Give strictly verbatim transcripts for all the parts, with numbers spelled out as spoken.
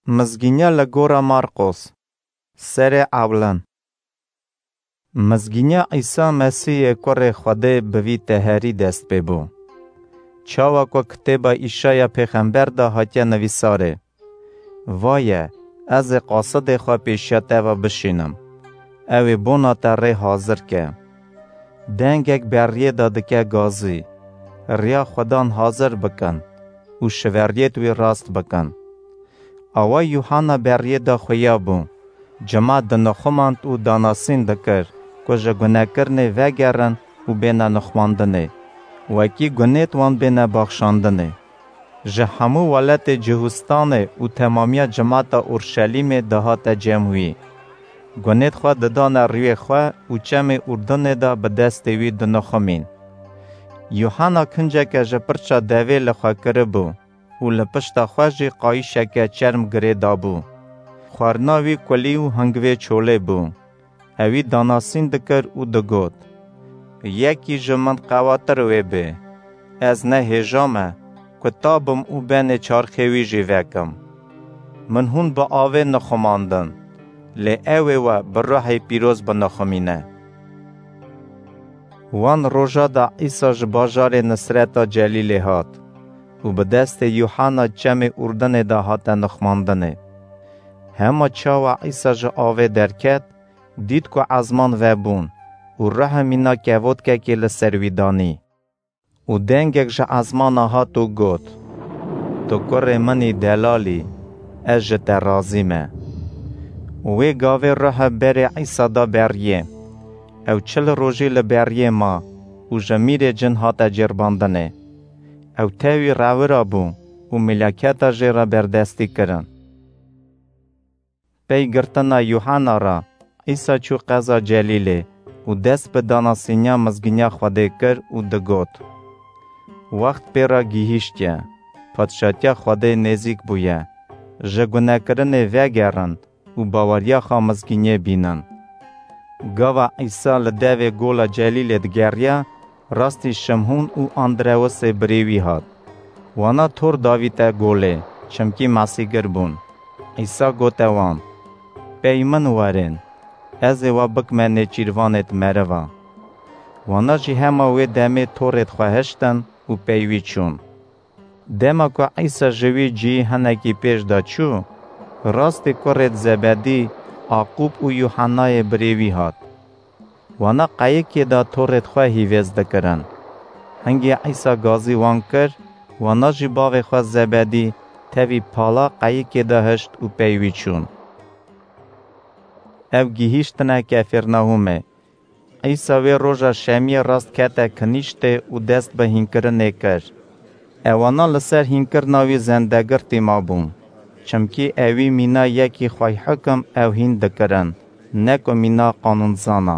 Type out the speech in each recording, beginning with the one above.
Mizgîniya li gora Marqos, serê ewlin. Mizgîniya Îsa Mesîhê Kurê Xwedê bi vî teherî dest pê bû. Çawa ku kitêba Îşaya pêxember de hatiye nivîsarê: Vaye, ez ê qasidê xwe pêşiya te ve bişînim. Ew ê bona te rê hazir ke. Dengek beriyê de dike gazî: Riya Xwedan hazir bikin û şiveriyêt wî rast bikin. Awa Yuhanna beriyê de xuya bû. Cima dinixumand û danasîn dikir ku ji gunekirinê vegerin û bêne nixumandinê, wekî gunêt wan bêne baxşandinê. Ji hemû welatê Cihûstanê û temamiya cimata Urşelîmê dihate cem wî. Gunêt xwe didane rûyê xwe û çemê Urdunê de bi destê wî dinixumîn. Yuhanna kinceke ji pirça devê li xwe kiribû û li pişta xwe jî qayîşeke çerm girê dabû. Xwarina wî kulî û hingvê çolê bû. Ewî danasîn dikir û digot: Yekî ji min qewatir wê bê. Ez ne hêja me ku tabim û benê çarxê wî jî vekim. Min hûn bi avê nixumandin, lê ew ê we bi ruhê pîroz binixumîne. Wan roja de Îsa ji bajarê Nisreta Celîlê hat û bi destê Yuhanna çemê Urdinê de hate nixumandinê. Hema çawa Îsa ji avê derket, dît ku ezman vebûn û ruhê mîna kevotkekê li ser wî danî. Û dengek ji ezmana hat û got: Tu kurê min î, delal î, ez ji te razî me. Û wê gavê ruhe berê Îsa da beriyê. Ew çil rojî li beriyê ma û ji mîrê cin hate cêrbandinê. Ew tewî rewira bû û milaketa jê re berdestî kirin. Pey girtina Yuhanna re, Îsa çû qeza Celîlê û dest bi danasîniya mizgîniya Xwedê kir û digot: Wext pê re gihîştiye, Padşatiya Xwedê nêzîk bûye. Ji gunekirinê vegerin û baweriya xwe mizgîniyê bînin. Gava Îsa li devê gola Celîlê digeriya, rastî Şimhûn û Andrewisê birê wî hat. Wana tor davîte golê, çimkî masîgir bûn. Îsa gote wan: Pey min werên, ez ê we bikime nêçîrvanêt meriva. Wana jî hema wê demê torêt xwe hiştin û pey wî çûn. Dema ku Îsa ji wî cihî hinekî pêş de çû, rastî kurêt Zebedî, Aqûb û Yuhannayê birê wî hat. Wana qeyikê de torêt xwe hîvêz dikirin. Hingê Îsa gazî wan kir, wana jî bavê xwe Zebedî tevî pala qeyikê de hişt û pey wî çûn. Ew gihîştine Kefêrnahûmê. Îsa wê roja şemiyê rast kete kinîştê û dest bi hînkirinê kir. Ewana li ser hînkirina wî zendegirtî mabûn, çimkî ewî mîna yekî xweyhukim ew hîn dikirin, ne ku mîna qanûnzana.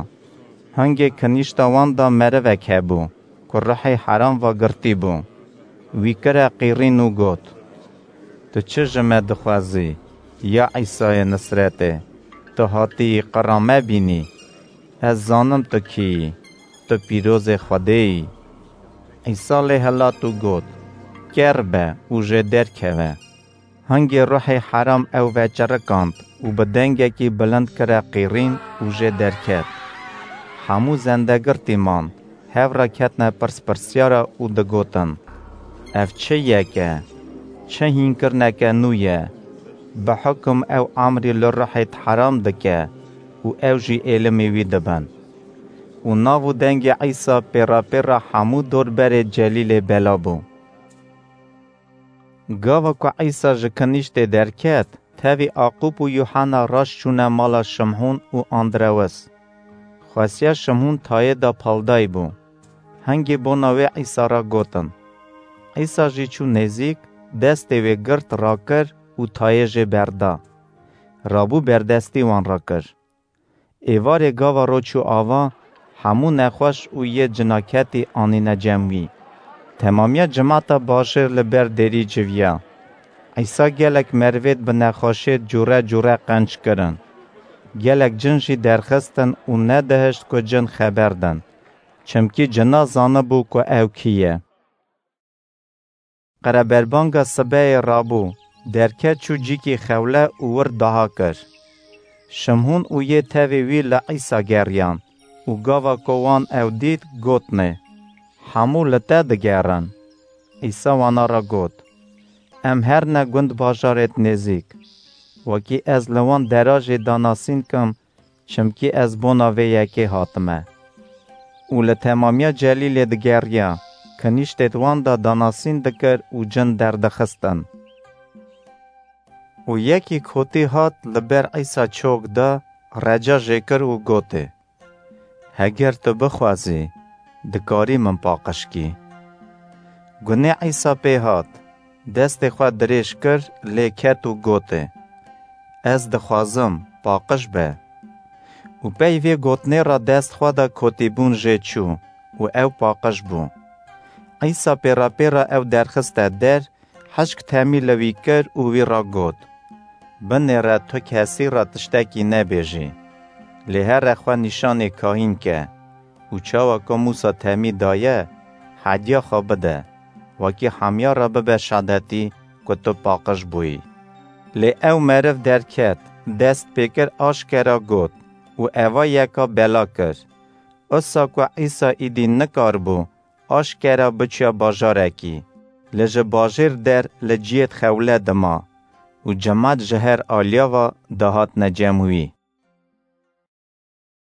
Hingê kinîşta wan de merivek hebû ku ruhê heram ve girtî bû. Wî kire qîrîn û got: Tu çi ji me dixwazî, ya Îsayê Nisretê? Tu hatiyî qira me bînî? Ez zanim tu kî yî, tu pîrozê Xwedê yî. Îsa lê hilat û got: Ker be û jê derkeve. Hingê ruhê heram ew veçirikand û bi dengekî bilind kire qîrîn û jê derket. Hemû zendegirtî man, hev re ketine pirspirsiyara û digotin: Ev çi yek e? Çi hînkirineke nû ye? Bi hukum ew emrî li ruhêt heram dike û ew jî êlimî wî dibin. Û nav û dengê Îsa pêra pêra hemû dorberê Celîlê bela bû. Gava ku Îsa ji kinîştê derket, tevî Aqûb û Yuhanna raş çûne mala Şimhûn û Andrewis. Xwesiya Şimhûn tayê de paldayî bû. Hingê bona wê Îsa re gotin. Îsa jî çû nêzîk, destê wê girt rakir û tayê jê berda. Rabû berdestî wan re kir. Êvarê gava ro çû ava, hemû nexweş û yê cinaketî anîne cem wî. Temamiya cimata bajêr li ber derî civiya. Îsa gelek merivêt bi nexweşêt cûre cûre qenc kirin. Gelek cin jî derxistin û nedihişt ku cin xeber din, çimkî cina zanibû ku ew kî ye. Qereberbanga sibehê rabû, Derket çû cîkî xewle û wir daha kir. Şimhûn û yê tevê wî li Îsa geriyan û gava ku wan ew dît, gotinê, "Hemû li te digerin." Îsa wana re got, "Em her ne gund bajarêt nêzîk. Wekî ez li wan dera jê danasîn kim, çimkî ez bona vê yekê hatime." Û li temamiya Celîlê digeriya, kinîştêd wan de danasîn dikir û cin derdixistin. Û yekî kotî hat li ber Îsa çok da, reca jê kir û gotê, "Heger tu bixwazî, dikarî min paqij kî." Gunê Îsa pê hat, destê xwe dirêj kir, lê ket û gotê, "Ez dixwazim, paqij be." Û pey vê gotinê re dest xwe da kotîbûn jê çû û ew paqij bû. Îsa pêra pêra ew derxiste der, hişk temî li wî kir û wî re got, "Binêre tu kesî re tiştekî nebêjî. Lê here xwe nîşanê kahîn ke û çawa ku Mûsa temî daye, hediya xwe bide, wekî hemiya re bibe şadetî ku tu paqij bûyî." Lê ew meriv derket, dest pê kir, aşkera got û eva yeka bela kir. Usa ku Îsa îdî nikaribû aşkera biçiya bajarekî, lê ji bajêr der li ciyêd xewle dima û cemat ji her aliya ve dihatine cem wî.